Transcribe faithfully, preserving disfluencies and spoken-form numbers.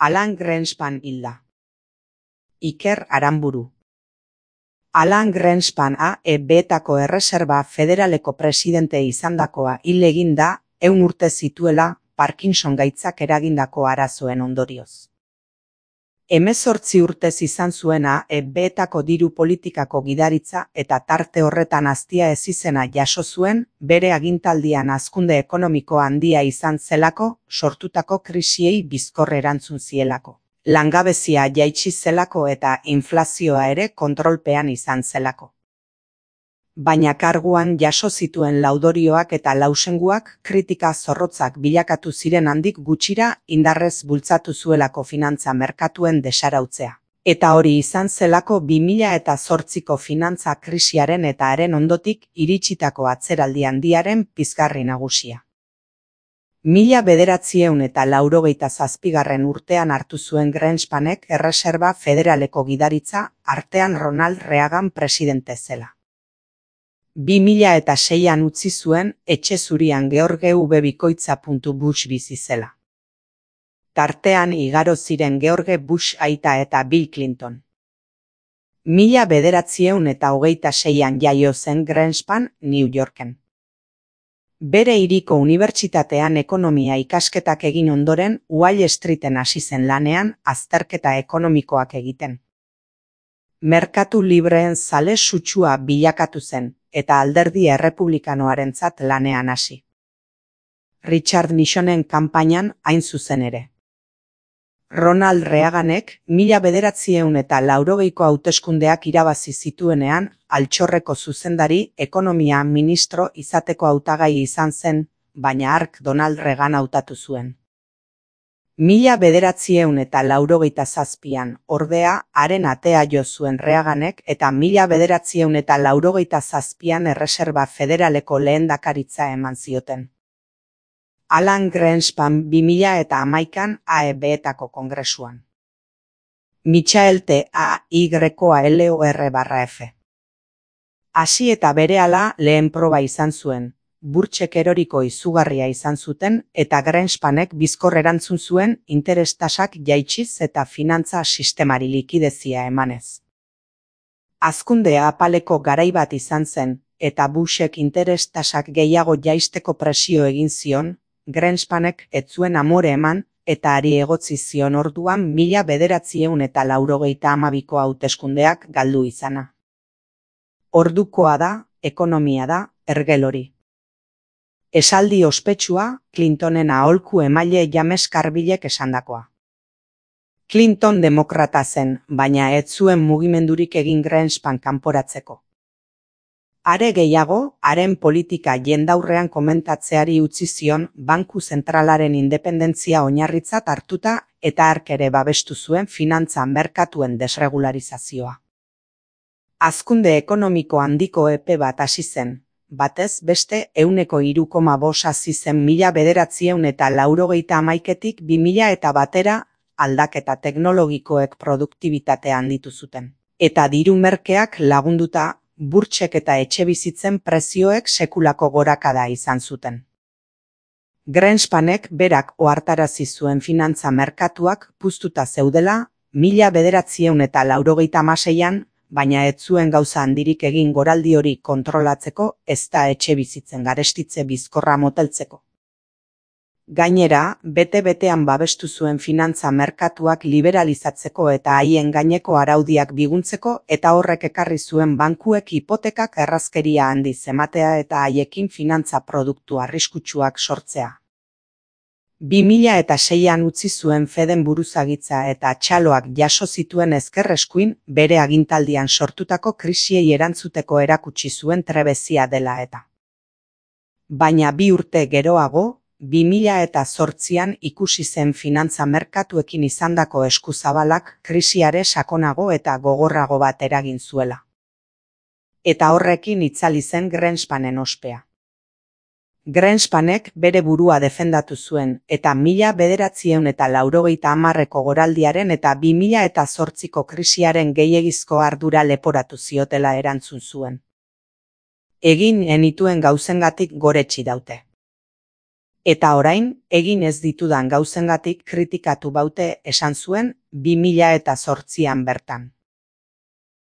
Alan Greenspan hilda. Iker Aranburu. Alan Greenspan A E B-etako Erreserba Federaleko presidente izandakoa hil egin da, ehun urte zituela Parkinson gaitzak eragindako arazoen ondorioz. Hemezortzi urtez izan zuen A E B-etako diru politikako gidaritza eta tarte horretan aztia ezizena jaso zuen bere agintaldian hazkunde ekonomiko handia izan zelako, sortutako krisiei bizkor erantzun zielako. Langabezia jaitsi zelako eta inflazioa ere kontrolpean izan zelako. Baina karguan jaso zituen laudorioak eta lausenguak kritika zorrotzak bilakatu ziren handik gutxira indarrez bultzatu zuelako finantza merkatuen desarautzea. Eta hori izan zelako bi mila zortziko finantza krisiaren eta haren ondotik iritsitako atzeraldi handiaren pizgarri nagusia. Mila bederatziehun eta laurogeita zazpigarren urtean hartu zuen Greenspanek Erreserba Federaleko gidaritza, artean Ronald Reagan presidente zela. Bi mila eta seian utzi zuen etxe zurian George W. Bikoitza. Bush bizi zela. Tartean igaro ziren George Bush aita eta Bill Clinton. Mila bederatziehun eta hogeita seian jaio zen Greenspan New Yorken. Bere hiriko unibertsitatean ekonomia ikasketak egin ondoren Wall Streeten hasi zen lanean azterketa ekonomikoak egiten. Merkatu libreen zale sutsua bilakatu zen, eta alderdi errepublikanoarentzat lanean hasi. Richard Nixonen kanpainan hain zuzen ere. Ronald Reaganek mila bederatziehun eta laurogeiko hauteskundeak irabazi zituenean altxorreko zuzendari ekonomia ministro izateko hautagai izan zen, baina hark Donald Reagan hautatu zuen. Mila bederatziehun eta laurogeita zazpian ordea haren atea jo zuen Reaganek eta mila bederatziehun eta laurogeita zazpian Erreserba Federaleko lehendakaritza eman zioten. Alan Greenspan bi mila eta hamaikan A E B-etako kongresuan. Michael T. A. Y. L O R barra F. Hasi eta berehala lehen proba izan zuen, burtsek eroriko izugarria izan zuten eta Greenspanek bizkor erantzun zuen interestasak jaitsiz eta finantza sistemari likidezia emanez. Hazkundea apaleko garai bat izan zen, eta Bushek interestasak gehiago jaisteko presio egin zion, Greenspanek ez zuen amore eman, eta ari egotzi zion orduan mila bederatziehun eta laurogeita hamabiko hauteskundeak galdu izana. Ordukoa da, ekonomia da, ergel hori. Esaldi ospetsua, Clintonen aholku emaile James Carvillek esandakoa. Clinton demokrata zen, baina ez zuen mugimendurik egin Greenspan kanporatzeko. Are gehiago, haren politika jendaurrean komentatzeari utzi zion banku zentralaren independentzia oinarritzat hartuta eta hark ere babestu zuen finantza merkatuen desregularizazioa. Hazkunde ekonomiko handiko epe bat hasi zen, batez beste ehuneko hiru koma bost hasi zen mila bederatziehun eta laurogeita hamaiketik bi mila eta batera aldaketa teknologikoek produktibitatea handitu zuten. Eta diru merkeak lagunduta, burtsek eta etxebizitzen prezioek sekulako gorakada izan zuten. Greenspanek berak ohartarazi zuen finantza merkatuak puztuta zeudela, mila bederatziehun eta laurogeita hamaseian, baina ez zuen gauza handirik egin goraldi hori kontrolatzeko ezta etxebizitzen garestitze bizkorra moteltzeko. Gainera, bete-betean babestu zuen finantza merkatuak liberalizatzeko eta haien gaineko araudiak biguntzeko eta horrek ekarri zuen bankuek hipotekak errazkeria handiz ematea eta haiekin finantza produktu arriskutsuak sortzea. bi mila eta seian utzi zuen Feden buruzagitza eta txaloak jaso zituen ezker eskuin bere agintaldian sortutako krisiei erantzuteko erakutsi zuen trebezia dela eta. Baina bi urte geroago, bi mila eta zortzian ikusi zen finantza merkatuekin izandako eskuzabalak krisiare sakonago eta gogorrago bat eragin zuela. Eta horrekin itzali zen Greenspanen ospea. Greenspanek bere burua defendatu zuen eta mila bederatziehun eta laurogeita hamarreko goraldiaren eta bi mila eta zortziko krisiaren gehiegizko ardura leporatu ziotela erantzun zuen. Egin enituen gauzengatik goretsi daute. Eta orain, egin ez ditudan gauzengatik kritikatu baute esan zuen bi mila zortzian bertan.